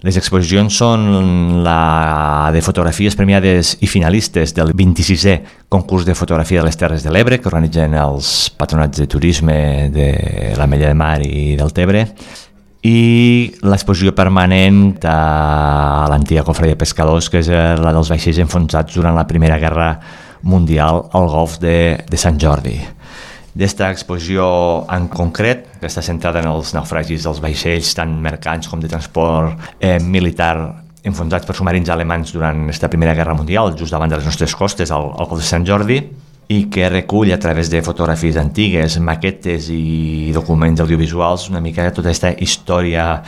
Les exposicions són la de fotografies premiades i finalistes del 26è concurs de fotografia de les Terres de l'Ebre, que organitzen els patronats de turisme de l'Ametlla de Mar i del Tebre, i l'exposició permanent a l'antiga cofre de pescadors, que és la dels vaixells enfonsats durant la Primera Guerra Mundial al golf de Sant Jordi. D'esta exposició en concret, que està centrada en els naufragis dels vaixells, tant mercants com de transport militar, enfonsats per submarins alemans durant aquesta Primera Guerra Mundial, just davant de les nostres costes, al golf de Sant Jordi, i que recull a través de fotografies antigues, maquetes i documents audiovisuals una mica tota aquesta història